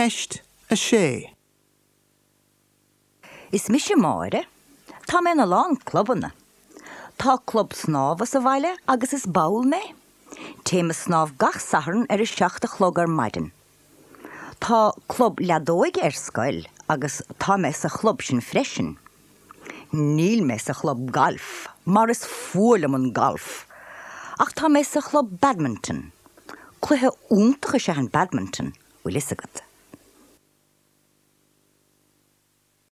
Ceist 6. Is mise Máire. Tá mé in a lán clubanna. Tá club snámha sa bhaile agus is ball mé. Téim a snámh gach Satharn ar a 7 a chlog ar maidin. Tá club leadóige ar scoil agus tá mé sa chlub sin freisin. Níl mé sa chlub gailf mar is fuath liom an galf. Ach tá mé sa chlub badminton. Cluiche iontach is ea an badminton, bhfuil fhios agat.